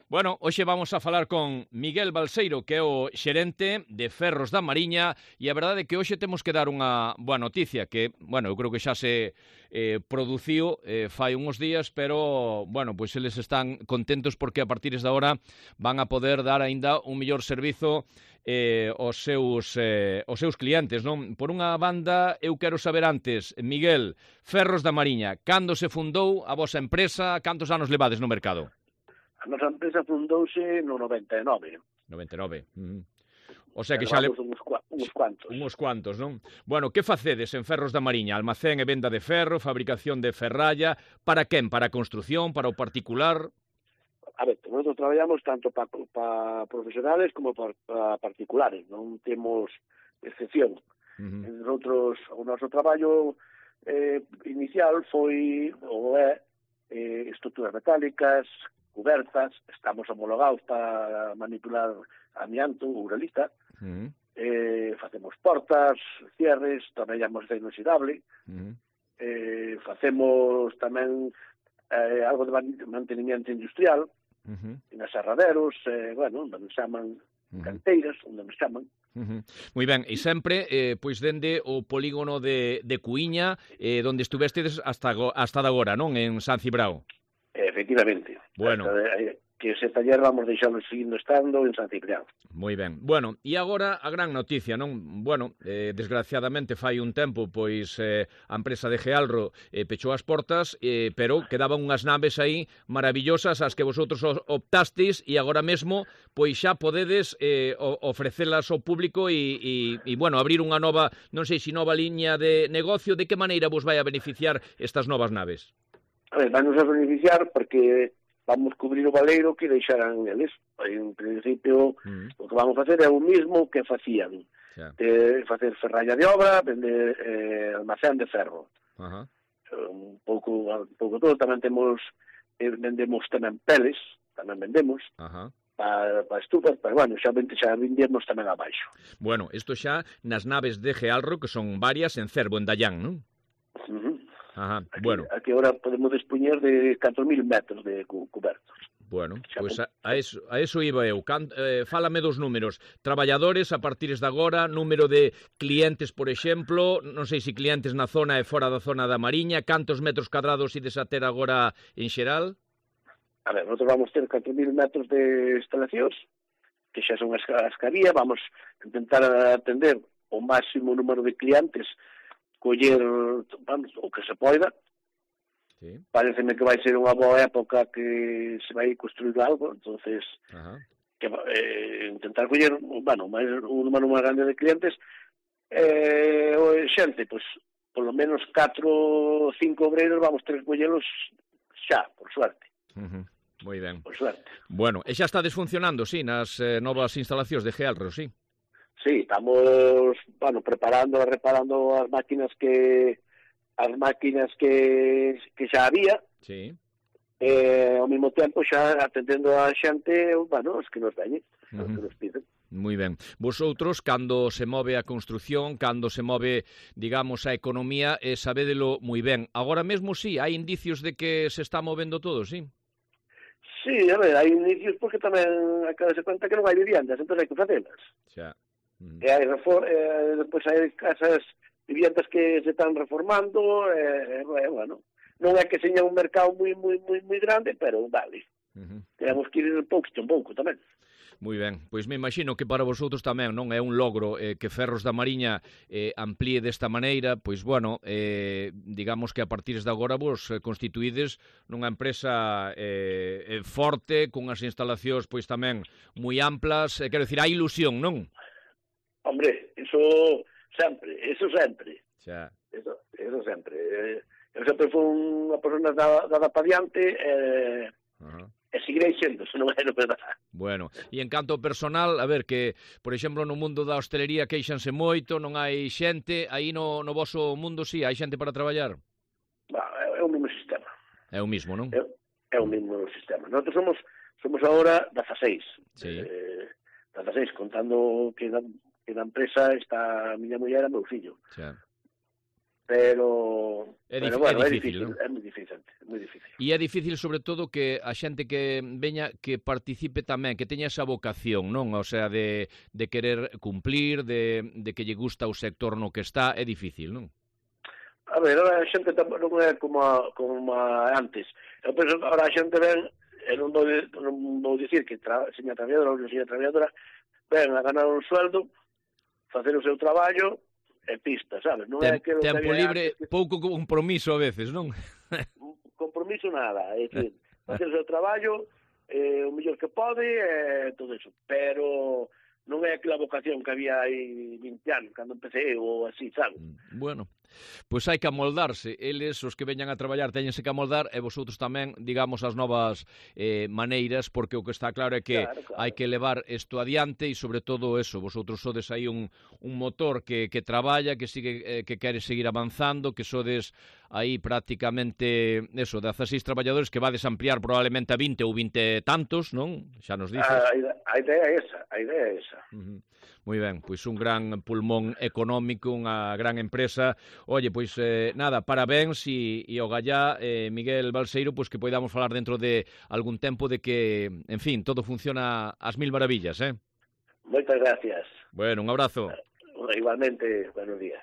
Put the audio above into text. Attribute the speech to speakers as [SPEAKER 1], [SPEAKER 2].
[SPEAKER 1] Bueno, hoxe vamos a falar con Miguel Balseiro, que é o xerente de Ferros da Mariña, e a verdade é que hoxe temos que dar unha boa noticia, que, bueno, eu creo que xa se produciu fai uns días, pero, bueno, pois eles están contentos porque a partir de agora van a poder dar aínda un mellor servizo aos seus clientes, non? Por unha banda, eu quero saber antes, Miguel, Ferros da Mariña, cando se fundou a vosa empresa, cantos anos levades no mercado?
[SPEAKER 2] A nosa empresa fundouse no 99.
[SPEAKER 1] 99. O sea que xa le...
[SPEAKER 2] uns cuantos.
[SPEAKER 1] Uns cuantos, non? Bueno, que facedes en Ferros da Mariña? Almacén e venda de ferro, fabricación de ferralla, para quen? Para a construción, para o particular?
[SPEAKER 2] A ver, nosotros traballamos tanto para profesionales como para particulares, non temos excepción. Nosotros, o noso traballo inicial foi o estruturas metálicas, cubertas, estamos homologados para manipular amianto, uralita, facemos portas, cierres, traballamos de inoxidable, facemos tamén algo de mantenimiento industrial, nas serraderos, bueno, onde nos chaman canteiras, onde nos chaman.
[SPEAKER 1] Moi ben, e sempre, pois, dende o polígono de Cuíña, donde estuvestedes hasta de agora, non? En San Cibrao.
[SPEAKER 2] Efectivamente.
[SPEAKER 1] Bueno.
[SPEAKER 2] Que ese taller vamos deixarlo seguindo estando en San Ciprián.
[SPEAKER 1] Moi ben. Bueno, e agora a gran noticia, non? Bueno, desgraciadamente fai un tempo, pois, a empresa de Gealro pechou as portas, pero quedaban unhas naves aí maravillosas as que vosotros optastes e agora mesmo, pois xa podedes ofrecelas ao público e, bueno, abrir unha nova, non sei se nova liña de negocio. De que maneira vos vai a beneficiar estas novas naves?
[SPEAKER 2] A ver, vai nos a beneficiar porque vamos cubrir o baleiro que deixaran eles. En principio, o que vamos facer é o mismo que facían. Facer ferralla de obra, vender almacén de ferro. Un pouco todo. Tamén vendemos tamén peles, tamén vendemos. Para estufas, pero bueno, xa vendemos tamén abaixo.
[SPEAKER 1] Bueno, isto xa nas naves de Gealro, que son varias en Cervo, en Dallán, non? Bueno.
[SPEAKER 2] Aquí ahora podemos dispoñer de 4.000 metros de cubertos.
[SPEAKER 1] Bueno, pois a eso iba eu. Fálame dos números. Traballadores a partir de agora, número de clientes, por exemplo, non sei se clientes na zona e fora da zona da Mariña, cantos metros cadrados ides a ter agora en xeral?
[SPEAKER 2] A ver, nosotros vamos ter 4.000 metros de instalacións, que xa son as que había, vamos intentar atender o máximo número de clientes, coller, vamos, o que se poida. Pareceme que vai ser unha boa época que se vai construir algo, entonces que intentar coller, bueno, un número máis grande de clientes, xente, pois, polo menos 4 ou 5 obreiros vamos ter que collelos xa, por suerte.
[SPEAKER 1] Moi ben.
[SPEAKER 2] Por suerte.
[SPEAKER 1] Bueno, e xa estades funcionando, sí, nas novas instalacións de Gealro, sí?
[SPEAKER 2] Sí, estamos, bueno, reparando as máquinas que xa había.
[SPEAKER 1] Sí.
[SPEAKER 2] Ao mesmo tempo xa atendendo a xente, bueno, os que nos veñen, os que nos piden.
[SPEAKER 1] Moi ben. Vosotros, cando se move a construción, cando se move, digamos, a economía, sabédelo moi ben. Agora mesmo, sí, hai indicios de que se está movendo todo, sí?
[SPEAKER 2] Sí, a ver, hai indicios porque tamén hai que darse cuenta que non hai viviendas, entón hai que facelas.
[SPEAKER 1] Xa.
[SPEAKER 2] E hai depois hai casas, viviendas que se están reformando, bueno, non é que seña un mercado moi grande, pero vale. Temos que ir pouco en pouco tamén.
[SPEAKER 1] Moi ben, pois me imagino que para vosotros tamén non é un logro que Ferros da Mariña amplíe desta maneira, pois bueno, digamos que a partir de agora vos constituídes nunha empresa forte, cunhas instalacións pois tamén moi amplas, quero dicir, hai ilusión, non?
[SPEAKER 2] Hombre, eso sempre.
[SPEAKER 1] Xa.
[SPEAKER 2] Eso sempre. Eu sempre fui unha persona dada para diante e seguirei sendo, se non é verdade.
[SPEAKER 1] Bueno, e en canto ao personal, a ver, que, por exemplo, no mundo da hostelería queixanse moito, non hai xente, aí no voso mundo sí, hai xente para traballar?
[SPEAKER 2] É o mesmo sistema.
[SPEAKER 1] É o mismo, non?
[SPEAKER 2] É o mesmo sistema. Nosotros somos agora 16.
[SPEAKER 1] Sí.
[SPEAKER 2] 16, contando que na empresa está a miña muller e meu fillo.
[SPEAKER 1] Xa.
[SPEAKER 2] Pero bueno, é difícil,
[SPEAKER 1] ¿no?
[SPEAKER 2] É moi difícil.
[SPEAKER 1] E é difícil, sobre todo, que a xente que veña que participe tamén, que teña esa vocación, non? O sea, de querer cumplir, de que lle gusta o sector no que está, é difícil, non?
[SPEAKER 2] A ver, ahora a xente non é como antes. Eu penso que ahora a xente ven, e non vou dicir que seña traballadora ou seña traballadora, ven a ganar un sueldo, facer o seu traballo e pista, sabes? Non é que
[SPEAKER 1] tempo libre, pouco compromiso a veces, non?
[SPEAKER 2] Compromiso nada, é dicir, facer o seu traballo o mellor que pode e todo eso, pero non é aquela vocación que había aí 20 anos, cando empecé ou así, sabes?
[SPEAKER 1] Bueno, pois hai que amoldarse. Eles, os que veñan a traballar, teñense que amoldar, e vosotros tamén, digamos, as novas maneiras, porque o que está claro é que hai que levar isto adiante e, sobre todo, eso, vosotros sodes aí un motor que traballa, que sigue, que quere seguir avanzando, que sodes aí prácticamente, eso, 16 traballadores que vades ampliar probablemente a 20 ou 20 tantos, non? Xa nos dices.
[SPEAKER 2] A idea é esa.
[SPEAKER 1] Moi ben, pois un gran pulmón económico, unha gran empresa. Oye, pois nada, parabéns e o gallá, Miguel Balseiro, pois que podamos falar dentro de algún tempo de que, en fin, todo funciona ás mil maravillas,
[SPEAKER 2] Moitas gracias.
[SPEAKER 1] Bueno, un abrazo.
[SPEAKER 2] Igualmente, buenos días.